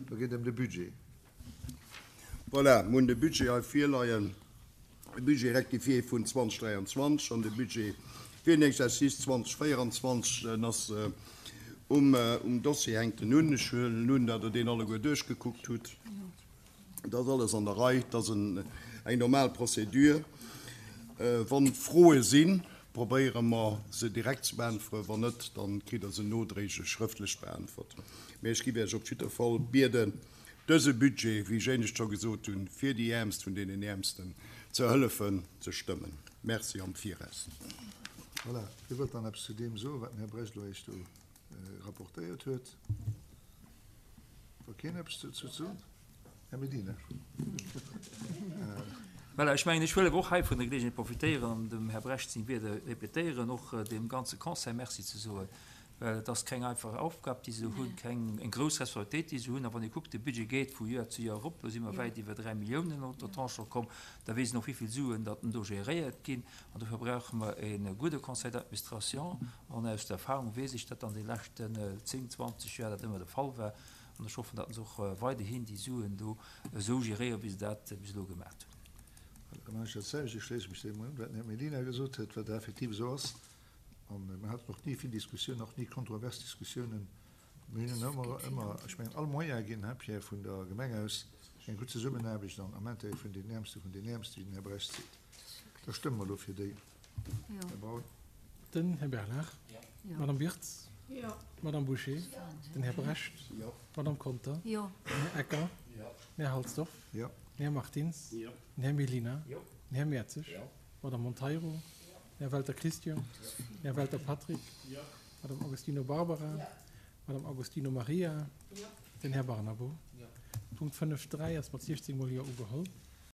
Do geet et ëm de Budget. Voilà, mir hunn de Budget hei virleien, de Budget rectifié vun 2023 an de Budget fir den Exercice 2024. En ass um Dossier, hänkt en un. Ech huelen un, datt Der deen alleguer duerchgekuckt hutt. Et ass alles an der Rei, et ass eng normal Procédure. Wa Froe sinn, probéiere mer se direkt ze beäntweren. Wann net, da kritt Der se nodréiglech schrëftlech beäntwert. Mee ech géif Iech op jidder Fall bieden, dëse Budget, wéi ech éinescht scho gesot hunn, fir déi Äermst vun deenen Äermsten ze hëllefen, ze stëmmen. Merci am Viraus. Voilà, wie wëllt dann eppes zu deem soen, wat den Här Brecht elo eréischt do rapportéiert huet? Wa keen eppes dozou sot? Här Medina. Voilà, ech mengen, ech wëll awer och hei vun der Geleegenheet profitéieren an dem Här Brecht seng Wierder répétéieren, och deem ganze Conseil Merci ze soen, well et ass keng einfach Aufgab, déi se hunn, keng, eng grouss Responsabilitéit, déi se hunn. A wann ee kuckt, de Budget geet vu Joer zu Joer erop, elo si mer wäit iwwer 3 Milliounen op der Tranche scho komm, da weess een och, wéi vill Suen datt do géréiert ginn. An dofir brauche mer e gudde Conseil d'administration. An aus der Erfahrung weess ech, datt an de leschten 10, 20 Joer dat ëmmer de Fall war. An ech hoffen, datt se och weiderhin déi Suen do esou geréieren, wéi se dat bis elo gemaat hunn. Da maachen ech dat selwecht. Ech schléisse mech deem un, wat den Här Mellina gesot huet, wat effektiv esou ass. A mir haten och ni vill Diskussiounen, och ni kontrovers Diskussiounen. Mir hunn ëmmer, ëmmer, ech mengen, all Moyen ginn, hein Pierre, vun der Gemeng aus eng gutt Zesummenaarbecht an am Intérêt vun den Äermste vun den Äermste, wéi den Här Brecht seet. Da stëmme mer elo fir déi, Här Braun. Den Här Bernard. D'Madame Wirtz. D'Madame Bouché. Den Här Brecht. D'Madame Conter. Den Här Ecker. Den Här Halsdorf. Den Här Martins. Den Här Mellina. Den Här Mertzig. D'Madame Monteiro. Den Här Welter Christian. Den Här Welter Patrick. D'Madame Agostino Barbara. D'Madame Agostino Maria. Den Här Barnabo. Punkt 5.3 ass mat 16 mol Jo ugeholl.